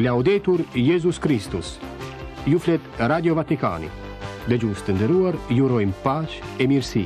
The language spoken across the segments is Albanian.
Laudetur Jezus Kristus. Ju flet Radio Vatikani. Dëgjues të nderuar, ju urojmë paqe e mirësi.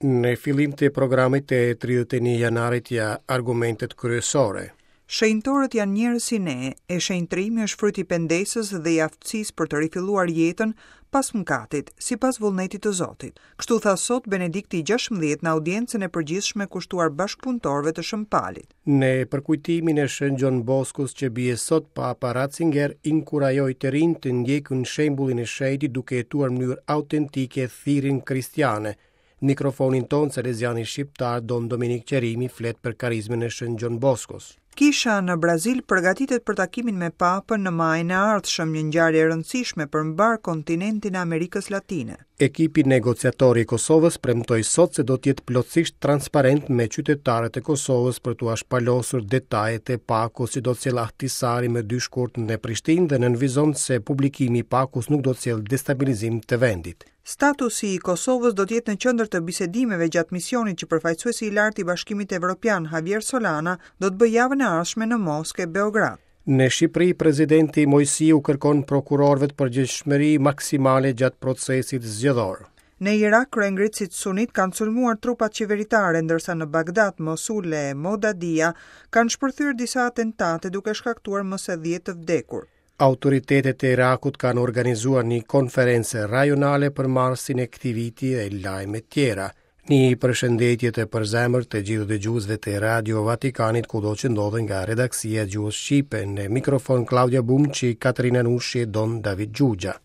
Në fillim të programit të 31 janarit ja argumentet kryesore. Shenjtorët janë njerëz si ne, e shenjtërimi është fryt i pendesës dhe i aftësisë për të rifilluar jetën pas mëkatit, sipas vullnetit të Zotit. Kështu tha sot Benedikti i 16 në audiencën e përgjithshme kushtuar bashkëpunëtorëve të Shën Palit. Në përkujtimin e Shën Gjon Boskos që bie sot, Papa Ratzinger inkurajoi të rinjtë të ndjekin shembullin e shenjtit duke jetuar në mënyrë autentike thirrjen kristiane. Në mikrofonin tonë, saleziani shqiptar Don Dominik Qerimi flet për karizmën e Shën Gjon Boskos. Kisha në Brazil përgatitet për takimin me Papën në majin e ardhshëm, një ngjarje e rëndësishme për mbarë kontinentin e Amerikës Latine. Ekipi negociator i Kosovës premtoi sot se do të jetë plotësisht transparent me qytetarët e Kosovës për t'ua shpalosur detajet e pakos që do të sjellë Ahtisari më 2 shkurt në Prishtinë dhe nënvizon se publikimi i pakos nuk do të sjellë destabilizim të vendit. Statusi i Kosovës do të jetë në qendër të bisedimeve gjatë misionit që përfaqësuesi i lartë i Bashkimit Evropian, Javier Solana, do të bëjë javën e ardhshme në Moskë e Beograd. Në Shqipëri, presidenti Moisiu kërkon prokurorëve përgjegjshmëri maksimale gjatë procesit zgjedhor. Në Irak, kryengritësit sunitë kanë sulmuar trupat qeveritare, ndërsa në Bagdad, Mosul e Modadia kanë shpërthyer disa atentate duke shkaktuar më se 10 të vdekur. Autoritetet e Irakut kanë organizuar një konferencë rajonale për marsin e këtij viti e lajme tjera. Një përshëndetje të përzemërt të gjithë dëgjuesve të Radio Vatikanit kudo që ndodhen nga redaksia e gjuhës shqipe në mikrofon Klaudia Bumçi, Katerina Nushi e Don David Xhuxha.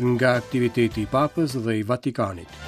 Nga aktiviteti i Papës dhe i Vatikanit.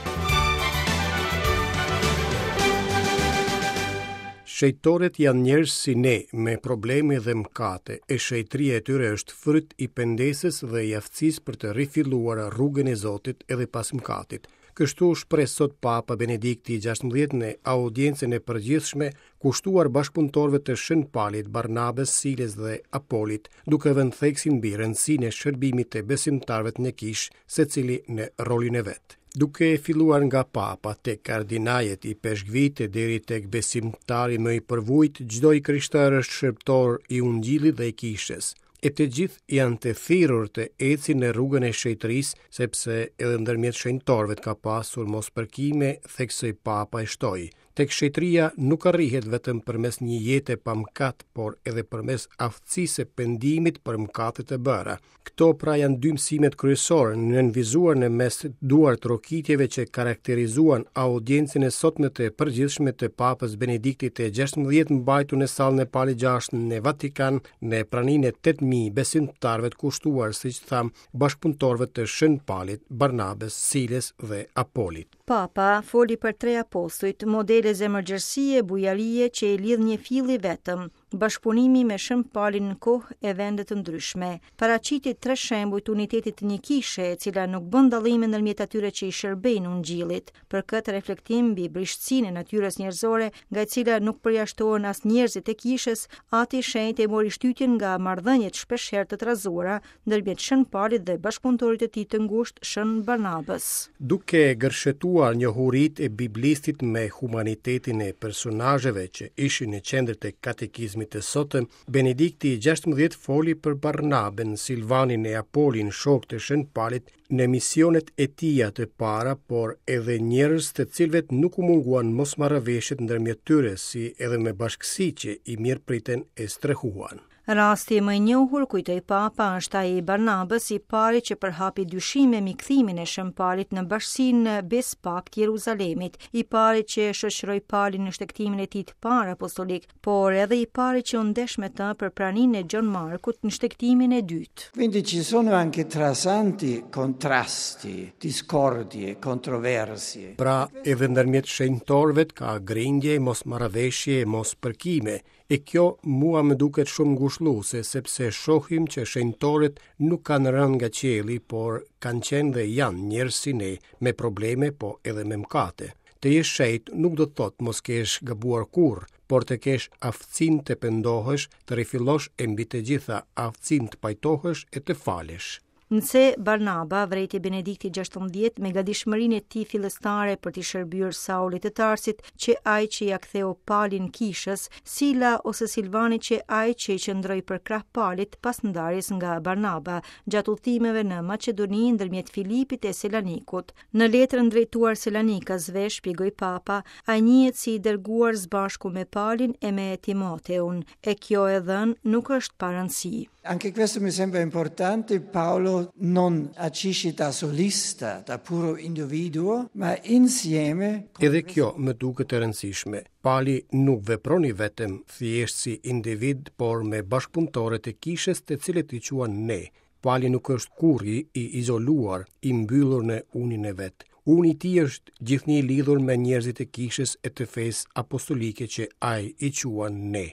Shenjtorët janë njerëz si ne, me probleme dhe mëkate, e shenjtëria e tyre është fryt i pendesës dhe i aftësisë për të rifilluar rrugën e Zotit edhe pas mëkatit. Kështu u shpreh sot Papa Benedikti i 16 në audiencën e përgjithshme kushtuar bashkëpunëtorëve të Shën Palit, Barnabës, Silës dhe Apolit, duke vënë theksin mbi rëndësinë e shërbimit të besimtarëve në kishë, secili në rolin e vet. Duke filluar nga Papa tek kardinajet, ipeshkvijtë e deri tek besimtari më i përvujtë, çdo i krishterë është shërbëtor i Ungjillit dhe i Kishës. E të gjithë janë të thirrur të ecin në rrugën e shenjtërisë, sepse edhe ndërmjet shenjtorëve ka pasur mospërkime, theksoi Papa e shtoi. Tek shenjtëria nuk arrihet vetëm përmes një jete pa mëkat, por edhe përmes aftësisë së pendimit për mëkatet e bëra. Këto pra janë dy mësimet kryesore, nënvizuar në mes duartrokitjeve që karakterizuan audiencën e sotme të përgjithshme të Papës Benediktit të 16 mbajtur në sallën e Palit 6 në Vatikan në praninë e 8000 besimtarëve të kushtuar, siç thamë, bashkëpunëtorëve të Shën Palit, Barnabës, Silës dhe Apolit. Papa foli për tre apostujt, modele zemërgjerësie e bujarie që i lidh një fill i vetëm, bashkëpunimi me Shën Palin në kohë e vende të ndryshme. Paraqiti tre shembuj të unitetit të një kishe, e cila nuk bën dallime ndërmjet atyre që i shërbejnë Ungjillit. Për këtë reflektim mbi brishtësinë e natyrës njerëzore, nga e cila nuk përjashtohen as njerëzit e kishës, Ati i Shenjtë e mori shtytjen nga marrëdhëniet shpeshherë të trazuara ndërmjet Shën Palit dhe bashkëpunëtorit të tij të ngushtë Shën Barnabës. Duke gërshetuar njohuritë e biblistit me humanitetin e personazheve që ishin në qendër të katekizmit të sotëm, Benedikti i 16 foli për Barnabën, Silvanin e Apolin, shokë të Shën Palit, në misionet e tija të para, por edhe njerëz të cilëve nuk u munguan mosmarrëveshjet ndërmjet tyre, si edhe me bashkësi që i mirëpritën e strehuan. Rasti më i njohur, kujtoi Papa, është ai i Barnabës, i pari që përhapi dyshime mbi kthimin e Shën Palit në bashkësinë Bespakt Jeruzalemit, i pari që e shoqëroi Palin në shtegtimin e tij të parë apostolik, por edhe i pari që u ndesh me të për praninë e Gjon Markut në shtegtimin e dytë. Quindi ci sono anche tra santi contrasti, discordie, controversie. Pra, edhe ndërmjet shenjtorëve ka grindje, mosmarrëveshje, mospërkime, E kjo mua më duket shumë ngushëlluese, sepse shohim që shenjtorët nuk kanë rënë nga qielli, por kanë qenë dhe janë njerëz si ne, me probleme, po edhe me mëkate. Të jesh shenjt nuk do të thotë mos kesh gabuar kurrë, por të kesh aftësinë të pendohesh, të rifillosh e mbi të gjitha aftësinë të pajtohesh e të falësh. Nëse Barnaba, vërejti Benedikti XVI me gatishmërinë e tij fillestare për t'i shërbyer Saulit të Tarsit, qe ai që ia ktheu Palin kishës, Sila ose Silvani qe ai që i qëndroi përkrah Palit pas ndarjes nga Barnaba, gjatë udhëtimeve në Maqedoni ndërmjet Filipit e Selanikut. Në letrën drejtuar Selanikasve, shpjegoi Papa, ai njihet si i dërguar së bashku me Palin e me Timoteun, e kjo e dhënë nuk është pa rëndësi. Anche questo mi sembra importante, Paolo non agisce da solista, da puro individuo, ma insieme. Edhe kjo më duket e rëndësishme. Pali nuk vepron i vetëm, thjesht si individ, por me bashkëpunëtorët e kishës të cilët i quan ne. Pali nuk është kurrë i izoluar, i mbyllur në unin e vet. Uni i tij është gjithnjë i lidhur me njerëzit e kishës e të fesë apostolike që ai i quan ne.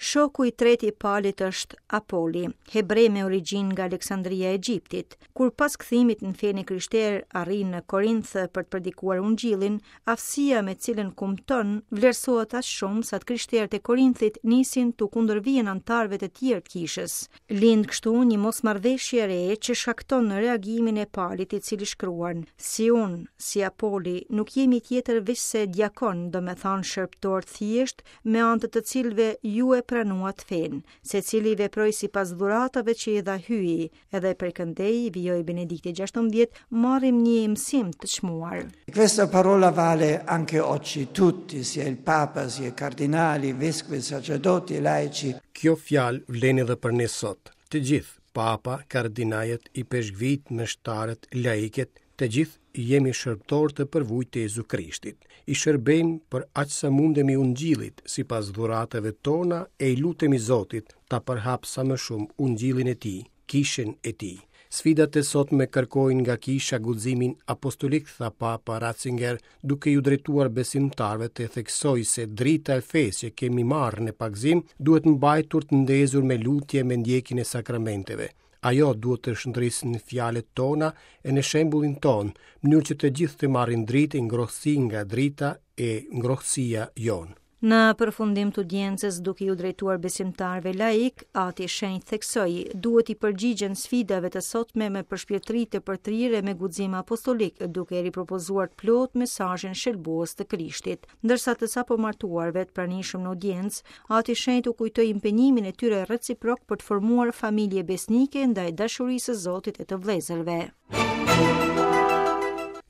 Shoku i tretë i Palit është Apoli, hebre me origjinë nga Aleksandria e Egjiptit. Kur pas kthimit në fenë e krishterë arrin në Korinth për të predikuar Ungjillin, aftësia me të cilën kumton vlerësohet aq shumë sa të krishterët e Korinthit nisin t'u kundërvihen anëtarëve të tjerë të kishës. Lind kështu një mosmarrëveshje e re që shkakton reagimin e Palit i cili shkruan: Si unë, si Apoli, nuk jemi tjetër veçse diakonë, domethënë shërbëtorë të thjeshtë, me anë të të cilëve ju e pranuat fenë. Secili veproi sipas dhuratave që i dha Hyji, edhe prej këndej, vijoi Benedikti XVI, marrim një mësim të çmuar. Questa parola vale anche oggi, tutti, sia il Papa, sia i cardinali, vescovi, sacerdoti e laici. Kjo fjalë vlen edhe për ne sot. Të gjithë, Papa, kardinajët, ipeshkvijtë, meshtarët, laikët, Të gjithë jemi shërbëtorë të përvujtë të Jezu Krishtit. I shërbejmë për aq sa mundemi Ungjillit, sipas dhuratave tona e i lutemi Zotit ta përhapë sa më shumë Ungjillin e Tij, Kishën e Tij. Sfidat e sotme kërkojnë nga Kisha guximin apostolik, tha Papa Ratzinger, duke iu drejtuar besimtarëve të theksoi se drita e fesë që kemi marrë në pagëzim duhet mbajtur të ndezur me lutje me ndjekjen e sakramenteve. Ajo duhet të shndrisë në fjalët tona e në shembullin tonë, në mënyrë që të gjithë të marrin dritë e ngrohtësi nga drita e ngrohtësia jonë. Në përfundim të audiencës, duke iu drejtuar besimtarëve laikë, Ati i Shenjtë theksoi, duhet t'i përgjigjen sfidave të sotme me përshpirtëri të përtërirë e me guxim apostolik, duke ripropozuar të plotë mesazhin shëlbues të Krishtit. Ndërsa të sapomartuarve të pranishëm në audiencë, Ati i Shenjtë u kujtoi impenjimin e tyre reciprok për të formuar familje besnike ndaj dashurisë së Zotit e të vëllezërve.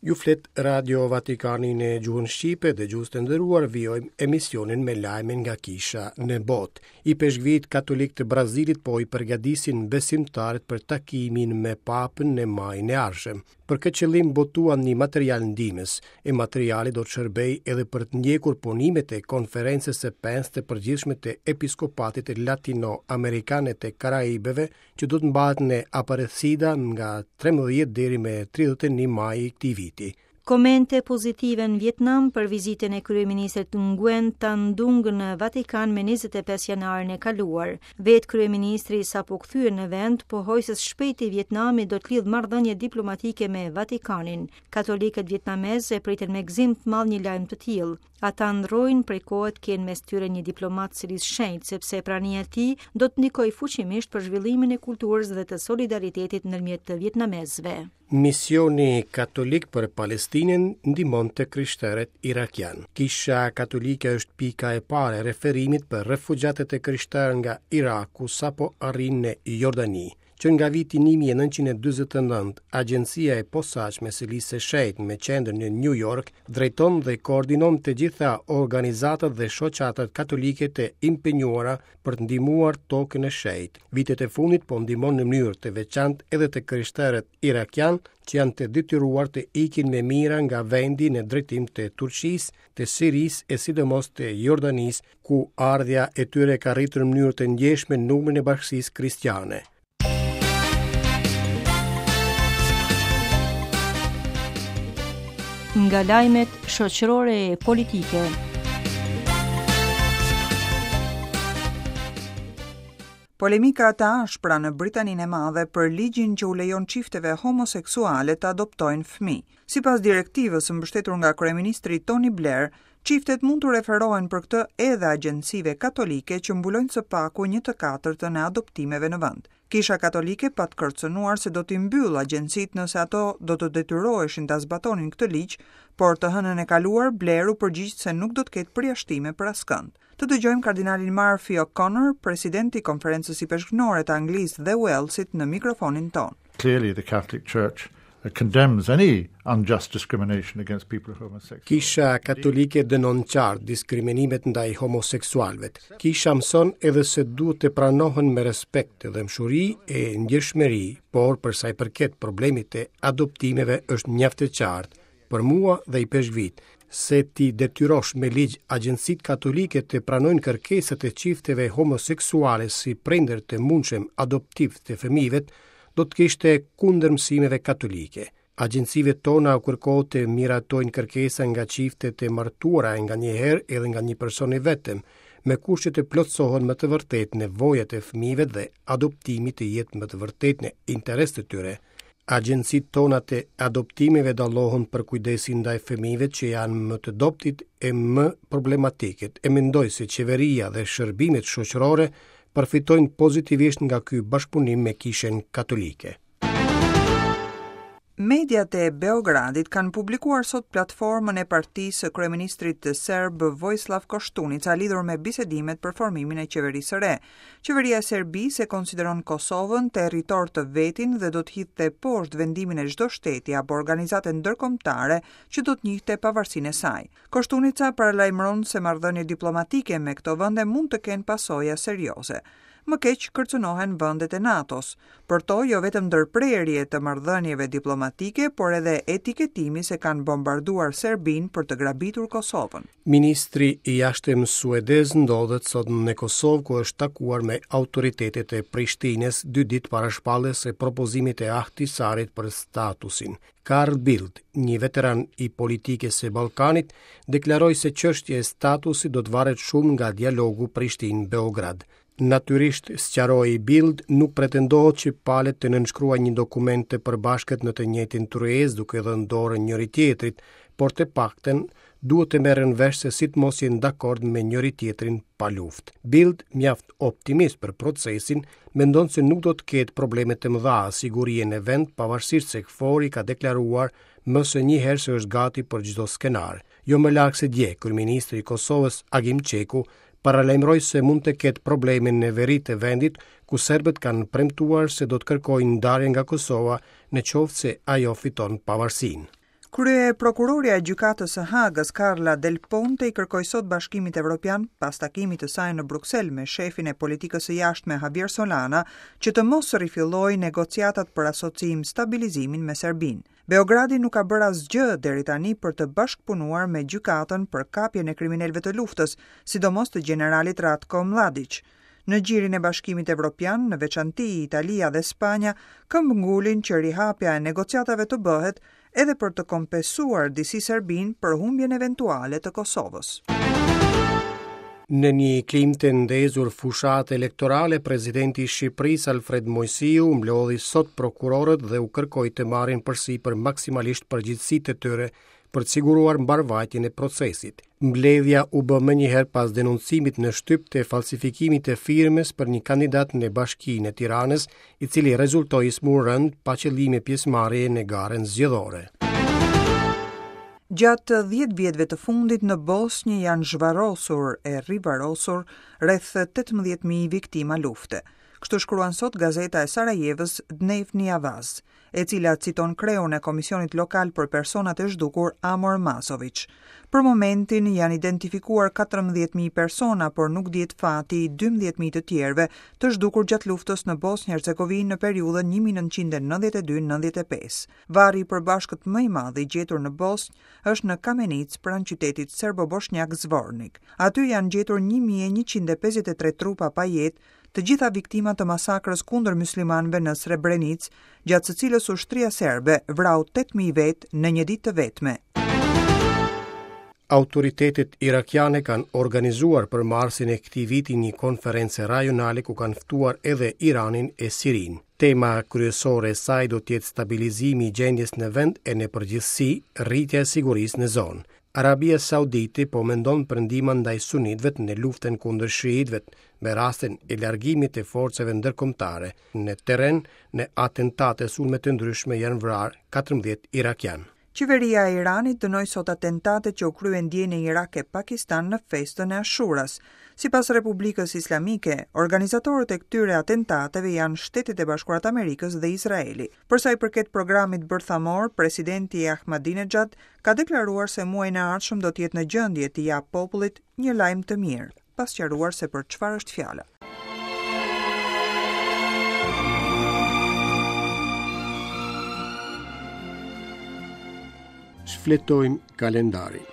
Ju flet Radio Vatikani në gjuhën shqipe dëgjues të nderuar vijojmë emisionin me lajme nga kisha në botë. Ipeshkvijtë katolikë të Brazilit po i përgatisin besimtarët për takimin me papën në majin e ardhshëm. Për këtë qëllim botuan një material ndihmës, e materiali do të shërbejë edhe për të ndjekur punimet e Konferencës së pestë të përgjithshme të Episkopatit Latino-Amerikan e të Karaibeve, që do të mbahet në Aparecida nga 13 deri me 31 maj i këtij viti. Komente pozitive në Vietnam për vizitën e kryeministrit Nguyen Tan Dung në Vatikan me 25 janarin e kaluar. Vetë kryeministri i sapokthyer në vend pohoi se së shpejti Vietnami do të lidhë marrëdhënie diplomatike me Vatikanin. Katolikët vietnamezë e pritën me gëzim të madh një lajm të tillë. Ata ëndërrojnë prej kohe të kenë mes tyre një diplomat të Selisë së Shenjtë, sepse prania e tij do të ndikojë fuqimisht për zhvillimin e kulturës dhe të solidaritetit ndërmjet të vietnamezëve. Misioni Katolik për Palestinën ndihmon të krishterët irakianë. Kisha Katolike është pika e parë e referimit për refugjatët e krishterë nga Iraku sapo arrijnë në Jordani. Që nga viti 1949, Agjencia e Posaçme e Selisë së Shenjtë me qendër në New York drejton dhe koordinon të gjitha organizatat dhe shoqatat katolike të impenjuara për të ndihmuar tokën e shenjtë. Vitet e fundit po ndihmon në mënyrë të veçantë edhe të krishterët irakianë që janë të detyruar të ikin me mijëra nga vendi në drejtim të Turqisë, të Sirisë e sidomos të Jordanisë, ku ardhja e tyre ka rritur në mënyrë të ndjeshme numrin e bashkësisë kristiane. Nga lajmet shoqërore e politike. Polemika të ashpra në Britaninë e Madhe për ligjin që u lejon çifteve homoseksuale të adoptojnë fëmijë. Sipas direktivës së mbështetur nga kryeministri Tony Blair, çiftet mund t'u referohen për këtë edhe agjencive katolike që mbulojnë së paku një të katërtën e adoptimeve në vend. Kisha Katolike pat kërcënuar se do t'i mbyllë agjencitë nëse ato do të detyroheshin ta zbatonin këtë ligj, por të hënën e kaluar Blair u përgjigj se nuk do të ketë përjashtime për askënd. Të dëgjojmë kardinalin Murphy O'Connor, president i Konferencës Ipeshkvnore të Anglisë dhe Uellsit në mikrofonin tonë. Clearly the Catholic Church condemns any unjust discrimination against people of homosexual. Kisha Katolike dënon qartë diskriminimet ndaj homoseksualëve. Kisha mëson edhe se duhet të pranohen me respekt, dhembshuri e ndjeshmëri, por për sa i përket problemit të adoptimeve është mjaft e qartë për mua dhe ipeshkvijtë se t'i detyrosh me ligj agjencitë katolike të pranojnë kërkesat e çifteve homoseksuale si prindër të mundshëm adoptiv të fëmijëve, do të ishte kundër mësimeve katolike. Agjencive tona u kërkohet të miratojnë kërkesa nga çifte të martuara e nganjëherë edhe nga një person i vetëm, me kusht që të plotësohen me të vërtetë nevojat e fëmijëve dhe adoptimi të jetë me të vërtetë në interes të tyre. Agjencitë tona të adoptimeve dallohen për kujdesin ndaj fëmijëve që janë më të dobëtit e më problematikët, e mendoj se qeveria dhe shërbimet shoqërore përfitojnë pozitivisht nga ky bashkëpunim me Kishën Katolike. Mediat e Beogradit kanë publikuar sot platformën e partisë së kryeministrit serb Vojislav Koshtunica lidhur me bisedimet për formimin e qeverisë së re. Qeveria e Serbisë e konsideron Kosovën territor të vetin dhe do të hidhte poshtë vendimin e çdo shteti apo organizate ndërkombëtare që do të njihte pavarësinë e saj. Koshtunica paralajmëron se marrëdhëniet diplomatike me këto vende mund të kenë pasoja serioze. Më keq kërcënohen vendet e NATO-s. Për to jo vetëm ndërprerje të marrëdhënieve diplomatike, por edhe etiketimi se kanë bombarduar Serbinë për të grabitur Kosovën. Ministri i Jashtëm suedez ndodhet sot në Kosovë ku është takuar me autoritetet e Prishtinës dy ditë para shpalljes së propozimit të Ahtisarit për statusin. Carl Bildt, një veteran i politikës së Ballkanit, deklaroi se çështja e statusit do të varet shumë nga dialogu Prishtinë-Beograd. Natyrisht, sqaroi Bildt, nuk pretendohet që palët të nënshkruajnë një dokument të përbashkët në të njëjtin tryezë duke dhënë dorën njëri-tjetrit, por të paktën duhet të merren vesh se si të mos jenë dakord me njëri-tjetrin pa luftë. Bildt, mjaft optimist për procesin, mendon se nuk do të ketë probleme të mëdha sigurie në vend, pavarësisht se KFOR-i ka deklaruar më se një herë se është gati për çdo skenar. Jo më larg se dje, kryeministri i Kosovës, Agim Çeku, paralajmëroi se mund të ketë probleme në veri të vendit, ku serbët kanë premtuar se do të kërkojnë ndarje nga Kosova në qoftë se ajo fiton pavarësinë. Kryeprokurorja e Gjykatës së Hagës, Carla Del Ponte i kërkoi sot Bashkimit Evropian, pas takimit të saj në Bruksel me shefin e politikës së jashtme Javier Solana, që të mos rifillojë negociatat për asociim stabilizimin me Serbinë. Beogradi nuk ka bërë asgjë deri tani për të bashkëpunuar me gjykatën për kapjen e kriminelëve të luftës, sidomos të gjeneralit Ratko Mladiq. Në gjirin e Bashkimit Evropian, në veçanti Italia dhe Spanja, këmbëngulin që rihapja e negociatave të bëhet edhe për të kompensuar disi Serbinë për humbjen eventuale të Kosovës. Në një klimë të ndezur fushate elektorale, presidenti i Shqipërisë Alfred Moisiu mblodhi sot prokurorët dhe u kërkoi të marrin përsipër maksimalisht përgjegjësitë e tyre për të siguruar mbarëvajtjen e procesit. Mbledhja u bë menjëherë pas denoncimit në shtyp të falsifikimit të firmës për një kandidat në Bashkinë e Tiranës, i cili rezultoi i sëmurë rëndë pa qëllime pjesëmarrjeje në garën zgjedhore. Gjatë 10 vjetëve të fundit në Bosnjë janë zhvarrosur e rivarrosur rreth 18.000 viktima lufte. Kështu shkruan sot gazeta e Sarajevës Dnevni Avaz. e cila citon kreun e Komisionit Lokal për Personat e Zhdukur, Amor Mazoviç. Për momentin janë identifikuar 14.000 persona, por nuk dihet fati i 12.000 të tjerëve të zhdukur gjatë luftës në Bosnjë-Hercegovinë në periudhën 1992-95. Varri i përbashkët më i madh i gjetur në Bosnjë është në Kamenicë pranë qytetit serbo-boshnjak Zvornik. Aty janë gjetur 1153 trupa pa jetë të gjitha viktima të masakrës kundër myslimanëve në Srebrenicë, gjatë së cilës ushtria serbe vrau 8.000 vetë në një ditë të vetme. Autoritetet irakiane kanë organizuar për marsin e këtij viti një konferencë rajonale ku kanë ftuar edhe Iranin e Sirinë. Tema kryesore e saj do të jetë stabilizimi i gjendjes në vend e në përgjithësi rritja e sigurisë në zonë. Arabia Saudite po mendon për ndihma ndaj sunitëve në luftën kundër shiitëve me rastin e largimit të forcave ndërkombëtare në terren në atentate e sulme të ndryshme janë vrarë 14 irakianë. Qeveria e Iranit dënoi sot atentatet që u kryen dje në Irak e Pakistan në festën e Ashuras. Sipas Republikës Islamike, organizatorët e këtyre atentateve janë Shtetet e Bashkuara të Amerikës dhe Izraeli. Për sa i përket programit bërthamor, presidenti Ahmadinejad ka deklaruar se muajin e ardhshëm do të jetë në gjendje t'i japë popullit një lajm të mirë, pa sqaruar se për çfarë është fjala. Shfletojmë kalendarin.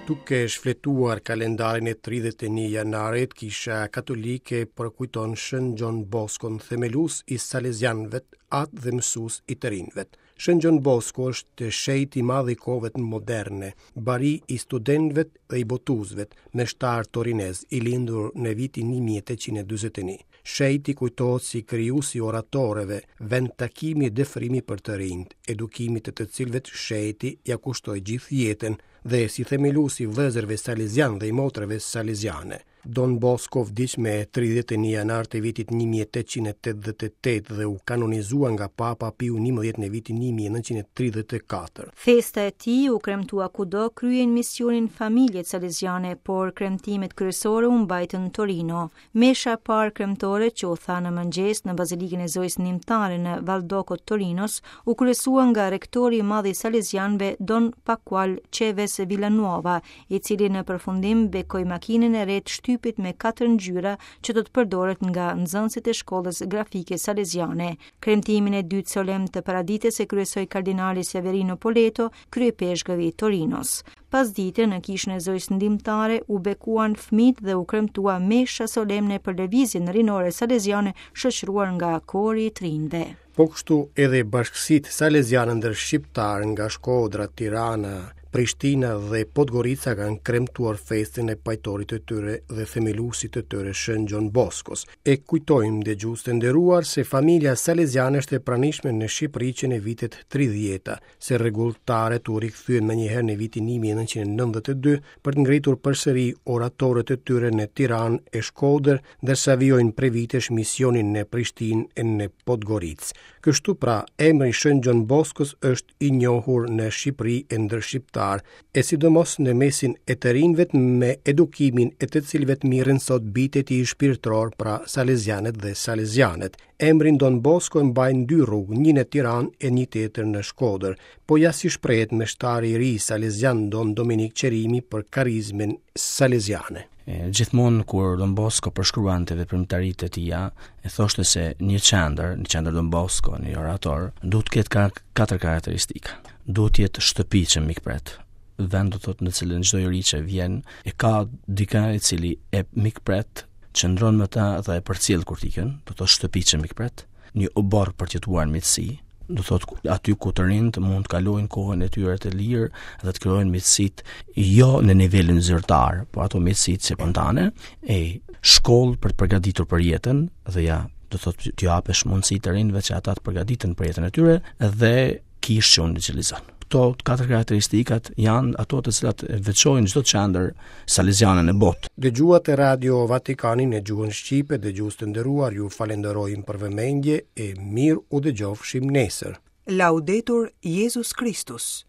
Duke shfletuar kalendarin e 31 janarit, Kisha Katolike përkujton Shën Gjon Boskon, themelues i Salezianëve, atë dhe mësues i të rinjve. Shën Gjon Bosko është shenjt i madh i kohëve moderne, bari i studentëve dhe i botuesve, meshtar torinez, i lindur në vitin 1841. Shenjti kujtohet si krijues i oratoreve, vend takimi e dëfrimi për të rinjtë, edukimit të të cilëve shenjti ia kushtoi gjithë jetën dhe si themelues i vëllezërve salezianë dhe i motrave saleziane. Don Bosco vdiq me 31 janar të vitit 1888 dhe u kanonizua nga Papa Piu XI në vitin 1934. Festa e tij u kremtua kudo kryejnë misionin familjet saleziane, por kremtimet kryesore u mbajtën në Torino. Mesha e parë kremtore që u tha në mëngjes në Bazilikën e Zojës Ndihmëtare në Valdocco të Torinos, u kryesua nga rektori i madh i salezianëve Don Pascual Chaves Villanueva, i cili në përfundim bekoi makinën e re të shtypit me katër ngjyra që do të përdoret nga nxënësit e shkollës grafike saleziane. Kremtimin e dytë solemn të paradites e kryesoi kardinali Severino Poletto, kryeipeshkëv i Torinos. Pasdite në kishën e Zojës Ndihmëtare u bekuan fëmijët dhe u kremtua mesha solemne për lëvizjen rinore saleziane shoqëruar nga kori i të rinjve. Po kështu edhe bashkësitë saleziane ndër shqiptarë nga Shkodra, Tirana, Prishtina dhe Podgorica kanë kremtuar festën e pajtorit të tyre dhe themeluesit të tyre Shën Gjon Boskos. E kujtojmë dëgjues të nderuar se familja saleziane është e pranishme në Shqipëri që në vitet 30-ta, se rregulltarët u rikthyen menjëherë në vitin 1992 për të ngritur përsëri oratorët e tyre në Tiranë e Shkodër, ndërsa vijojnë prej vitesh misionin në Prishtinë e në Podgoricë. Kështu pra, emri i Shën Gjon Boskos është i njohur në Shqipëri e ndër shqiptarë, e sidomos në mesin e të rinjve me edukimin e të cilëve merren sot bijtë e tij shpirtërorë, pra salezianët dhe salezianet. Emrin Don Bosko e mbajnë dy rrugë, një në Tiranë e një tjetër në Shkodër. Po ja si shprehet meshtari i ri salezian Don Dominik Qerimi për karizmën saleziane. Gjithmonë kur Don Bosco përshkruante veprimtaritë e tija, e thoshte se një qendër, një qendër Don Bosco, një orator, duhet të ketë katër karakteristika. Duhet të jetë shtëpi që mikpret, vend do thotë në cilën çdo i ri që vjen e ka dikë i cili e mikpret, qëndron me ta dhe e përcjell kur të ikën, do thotë shtëpi që mikpret, një oborr për të jetuar në miqësi, do thotë aty ku të rinjtë mund të kalojnë kohën e tyre të lirë dhe të krijojnë miqësitë jo në nivelin zyrtar, por ato miqësitë spontane, e shkollë për të përgatitur për jetën dhe ja, do thotë t'u japësh mundësi të rinjve që ata të përgatiten për jetën e tyre dhe kishë që ungjillizon. Këto katër karakteristikat janë ato të cilat veçojnë çdo qendër saleziane në botë. Dëgjuat Radio Vatikanin në gjuhën shqipe, dëgjues të nderuar, ju falenderojmë për vëmendje e mirë u dëgjofshim nesër. Laudetur Jezus Kristus.